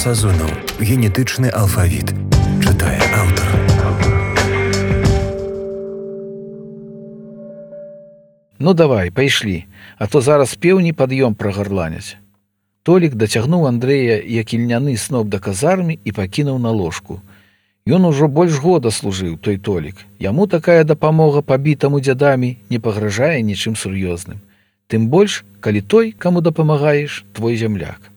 Сазонаў. Генетычны алфавіт. Чытае аўтар. Ну давай, пайшлі, а то зараз пеўні пад'ём прагарланяць. Толік дацягнуў Андрэя, як ільняны сноп да казармы і пакінуў на ложку. Ён ужо больш года служыў, той Толік. Яму такая дапамога пабітаму дзядамі не пагражае нічым сур'ёзным. Тым больш, калі той, каму дапамагаеш, твой зямляк.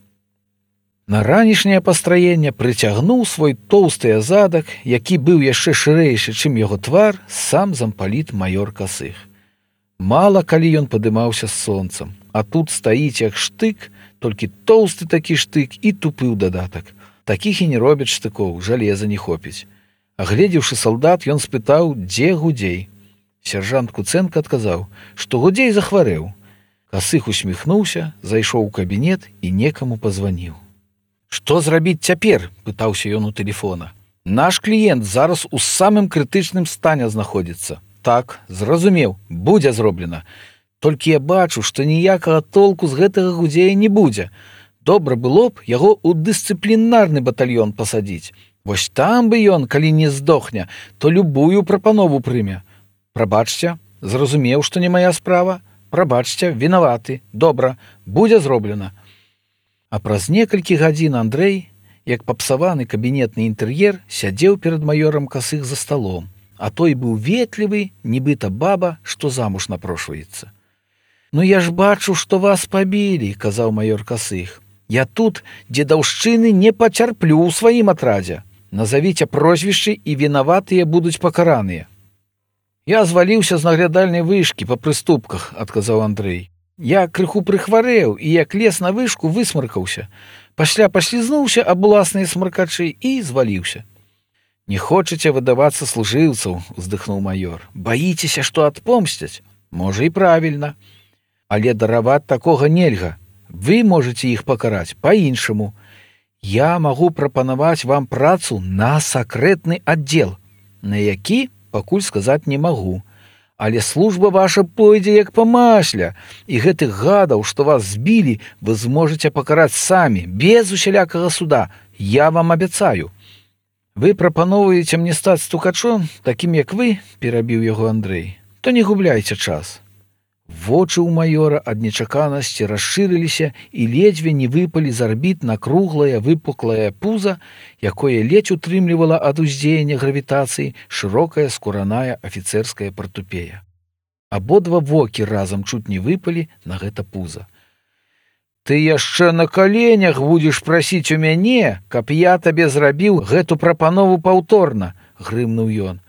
На ранішняе пастраенне прыцягнуў свой тоўсты задак, які быў яшчэ шырэйшы, чым яго твар, сам зампаліт маёр Касых. Мала калі ён падымаўся з сонцам, а тут стаіць як штык, толькі тоўсты такі штык і тупы ў дадатак. Такіх і не робяць штыкоў, жалеза не хопіць. Агледзеўшы салдат, ён спытаў, дзе Гудзей. Сяржант Куцэнка адказаў, што Гудзей захварэў. Касых усміхнуўся, зайшоў у кабінет і некаму пазваніў. «Што зрабіць цяпер?» – пытаўся ён у тэлефона. «Наш кліент зараз у самым крытычным стане знаходзіцца». «Так, зразумеў, будзе зроблена. Толькі я бачу, што ніякага толку з гэтага Гудзея не будзе. Добра было б яго ў дысцыплінарны батальён пасадзіць. Вось там бы ён, калі не здохне, то любую прапанову прыме. Прабачце, зразумеў, што не мая справа. Прабачце, вінаваты. Добра, будзе зроблена». А праз некалькі гадзін Андрэй, як папсаваны кабінетны інтэр'ер, сядзеў перад маёрам Касых за сталом, а той быў ветлівы, нібыта баба, што замуж напрошваецца. «Ну я ж бачу, што вас пабілі», – казаў маёр Касых. «Я тут дзедаўшчыны не пацярплю ў сваім атрадзе. Назавіце прозвішчы і вінаватыя будуць пакараныя». «Я зваліўся з наглядальнай вышкі па прыступках», – адказаў Андрэй. «Я крыху прыхварэў і як лез на вышку высмаркаўся. Пасля паслізнуўся аб уласныя смаркачы і зваліўся». «Не хочаце выдавацца служыўцаў», – уздыхнуў маёр. «Баіцеся, што адпомсцяць? Можа, і правільна. Але дараваць такога нельга. Вы можаце іх пакараць па-іншаму. Я магу прапанаваць вам працу на сакрэтны аддзел, на які пакуль сказаць не магу. Але служба ваша пойдзе як па масле, і гэтых гадаў, што вас збілі, вы зможаце пакараць самі, без усялякага суда. Я вам абяцаю». «Вы прапаноўваеце мне стаць стукачом, такім як вы», – перабіў яго Андрэй, – «то не губляйце час». Вочы ў маёра ад нечаканасці расшырыліся і ледзьве не выпалі з арбіт на круглае выпуклае пуза, якое ледзь утрымлівала ад уздзеяння гравітацыі шырокая скураная афіцэрская партупея. Абодва вокі разам чуць не выпалі на гэта пуза. «Ты яшчэ на каленях будзеш прасіць у мяне, каб я табе зрабіў гэту прапанову паўторна», – грымнуў ён.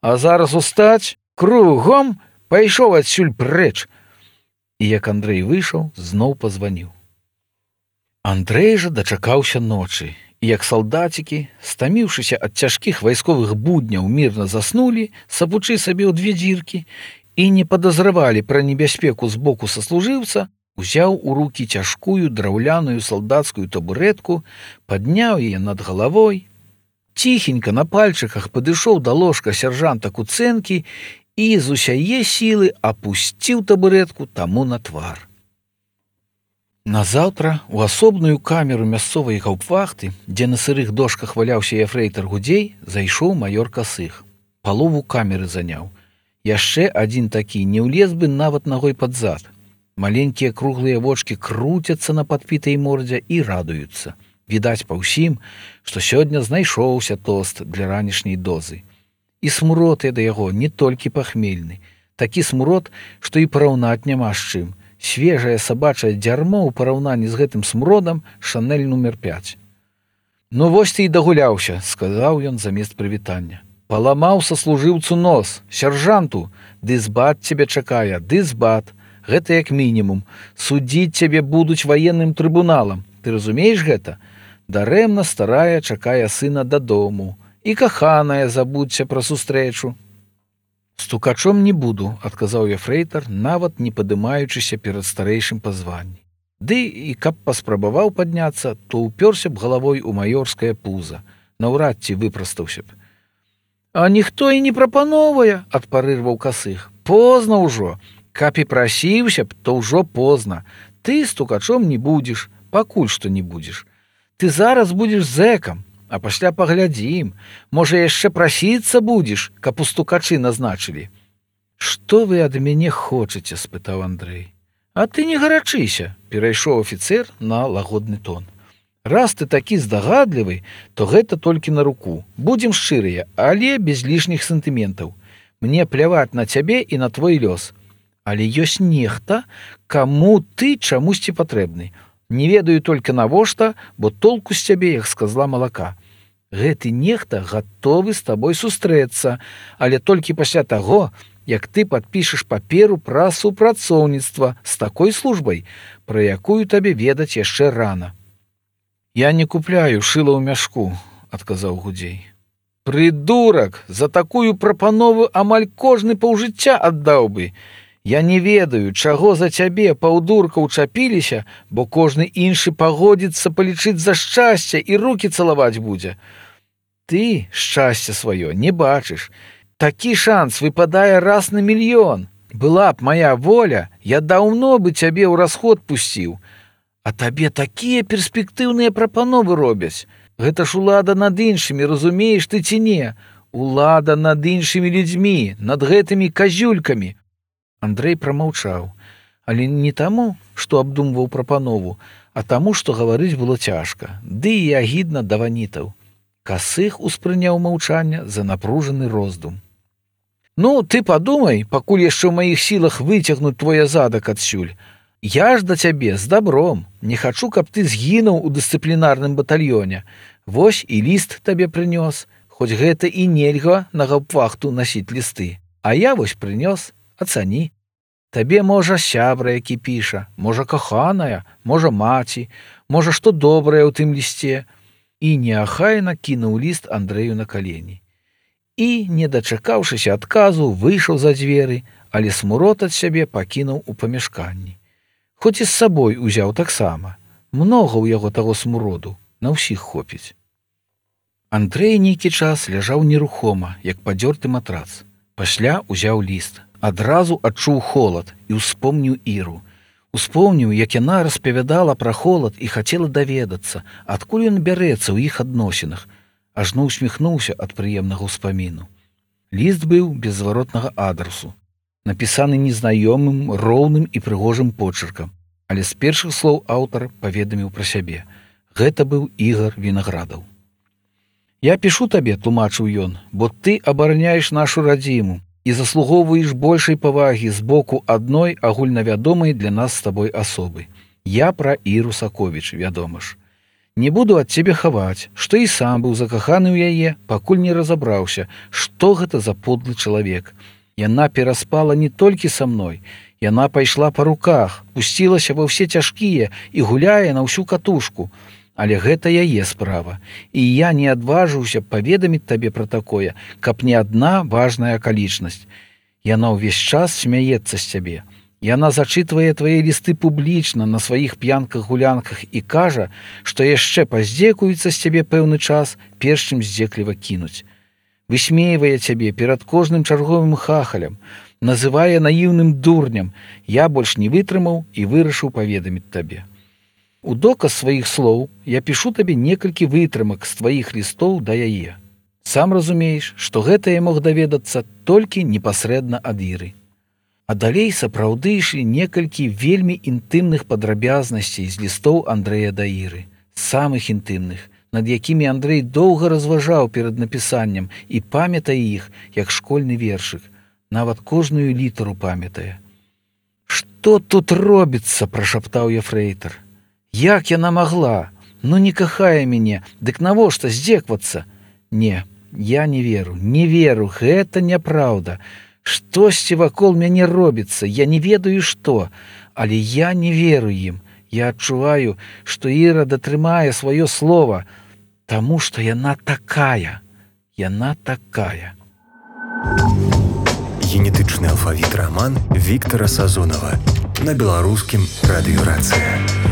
«А зараз устаць, кругом, пайшоў адсюль прэч». І як Андрэй выйшаў, зноў пазваніў. Андрэй жа дачакаўся ночы, і як салдацікі, стаміўшыся ад цяжкіх вайсковых будняў, мірна заснулі, сапучы сабе ў дзве дзіркі, і не падазравалі пра небяспеку з боку саслужыўца, узяў у рукі цяжкую драўляную салдацкую табурэтку, падняў яе над галавой, ціхенька на пальчыках падышоў да ложка сяржанта Куцэнкі і з усяе сілы апусціў табурэтку таму на твар. Назаўтра у асобную камеру мясцовай гаўпвахты, дзе на сырых дошках валяўся ефрэйтар Гудзей, зайшоў маёр Касых. Палову камеры заняў. Яшчэ адзін такі не ўлез бы нават нагой пад зад. Маленькія круглыя вочкі круцяцца на падпітай мордзе і радуюцца. Відаць па ўсім, што сёння знайшоўся тост для ранішняй дозы. І смурод да яго не толькі пахмельны. Такі смурод, што і параўнаць няма з чым. Свежае сабачае дзярмо ў параўнанні з гэтым смуродам Шанель нумер 5. «Ну вось ты і дагуляўся», – сказаў ён замест прывітання. «Паламаў саслужыўцу нос, сяржанту, дызбат цябе чакае, дызбат. Гэта як мінімум. Судзіць цябе будуць ваенным трыбуналам. Ты разумееш гэта? Дарэмна старая чакае сына дадому. І каханая забудься пра сустрэчу». «Стукачом не буду», – адказаў ефрэйтар, нават не падымаючыся перад старэйшым па званні. Ды і каб паспрабаваў падняцца, то ўпёрся б галавой у маёрскае пуза. Наўрад ці выпрастаўся б. «А ніхто і не прапановвае», – адпарырваў Касых. «Позна ўжо. Каб і прасіўся б, то ўжо позна. Ты стукачом не будзеш, пакуль што не будзеш. Ты зараз будзеш зэкам, а пасля паглядзім. Можа, яшчэ прасіцца будзеш, каб у стукачы назначылі. Што вы ад мяне хочаце? — спытаў Андрэй. А ты не гарачыся, — перайшоў афіцэр на лагодны тон. Раз ты такі здагадлівы, то гэта толькі на руку. Будзем шчырыя, але без лішніх сантыментаў. Мне пляваць на цябе і на твой лёс. Але ёсць нехта, каму ты чамусьці патрэбны. Не ведаю толькі навошта, бо толку з цябе, як з казла малака. Гэты нехта гатовы з табой сустрэцца, але толькі пасля таго, як ты падпішаш паперу пра супрацоўніцтва з такой службай, пра якую табе ведаць яшчэ рана. Я не купляю шыла ў мяшку, — адказаў Гудзей. Прыдурак, за такую прапанову амаль кожны паўжыцця аддаў бы. Я не ведаю, чаго за цябе паўдурка ўчапіліся, бо кожны іншы пагодзіцца палічыць за шчасце і рукі цалаваць будзе. Ты шчасце сваё не бачыш. Такі шанс выпадае раз на мільён. Была б моя воля, я даўно бы цябе ў расход пусціў. А табе такія перспектыўныя прапановы робяць. Гэта ж улада над іншымі, разумееш ты ці не? Улада над іншымі людзьмі, над гэтымі казюлькамі. Андрэй прамаўчаў, але не таму, што абдумваў прапанову, а таму, што гаварыць было цяжка, ды і агідна да ванітаў. Касых успрыняў маўчанне за напружаны роздум. Ну, ты падумай, пакуль яшчэ ў маіх сілах выцягнуць твой задак адсюль. Я ж да цябе з дабром, не хачу, каб ты згінуў у дысцыплінарным батальёне. Вось і ліст табе прынёс, хоць гэта і нельга на гаўпвахту насіць лісты. А я вось прынёс, ацані. Табе, можа, сябра, які піша, можа, каханая, можа, маці, можа, што добрае ў тым лісце. І неахайна кінуў ліст Андрэю на калені. І, не дачакаўшыся адказу, выйшаў за дзверы, але смурод ад сябе пакінуў у памяшканні. Хоць і з сабой узяў таксама. Многа ў яго таго смуроду, на ўсіх хопіць. Андрэй нейкі час ляжаў нерухома, як падзёрты матрац. Пасля узяў ліст. Адразу адчуў холад і ўспомніў Іру. Успомніў, як яна распавядала пра холад і хацела даведацца, адкуль ён бярэцца ў іх адносінах. Ажно усміхнуўся ад прыемнага ўспаміну. Ліст быў без зваротнага адрасу, напісаны незнаёмым, роўным і прыгожым почыркам, але з першых слоў аўтар паведаміў пра сябе. Гэта быў Ігар Вінаградаў. «Я пішу табе, — тлумачыў ён, — бо ты абараняеш нашу радзіму і заслугоўваеш большай павагі з боку адной агульнавядомай для нас з табой асобы. Я пра Іру Саковіч, вядома ж. Не буду ад цябе хаваць, што і сам быў закаханы ў яе, пакуль не разабраўся, што гэта за подлы чалавек. Яна пераспала не толькі са мной, яна пайшла па руках, пусцілася ва ўсе цяжкія і гуляе на ўсю катушку. Але гэта яе справа, і я не адважыўся паведаміць табе пра такое, каб не адна важная акалічнасць. Яна ўвесь час смяецца з цябе. Яна зачытвае твае лісты публічна на сваіх п'янках-гулянках і кажа, што яшчэ паздзекуецца з цябе пэўны час, перш чым здзекліва кінуць. Высмейвае цябе перад кожным чарговым хахалем, называе наіўным дурнем. Я больш не вытрымаў і вырашыў паведаміць табе. У доказ сваіх слоў я пішу табе некалькі вытрымак з тваіх лістоў да яе. Сам разумееш, што гэта я мог даведацца толькі непасрэдна ад Іры. А далей сапраўды ішлі некалькі вельмі інтымных падрабязнасцей з лістоў Андрэя да Іры, самых інтымных, над якімі Андрэй доўга разважаў перад напісаннем і памятае іх, як школьны вершык, нават кожную літару памятае. «Што тут робіцца?» — прашаптаў ефрэйтар. «Як яна магла? Ну не кахае мяне, дык навошта здзеквацца? Не, я не веру, гэта няпраўда. Штосьці вакол мяне робіцца, я не ведаю што, але я не веру ім. Я адчуваю, што Іра датрымае сваё слова, таму што яна такая. Генетычны алфавіт раман Віктара Сазонава на беларускім радыёрацыя.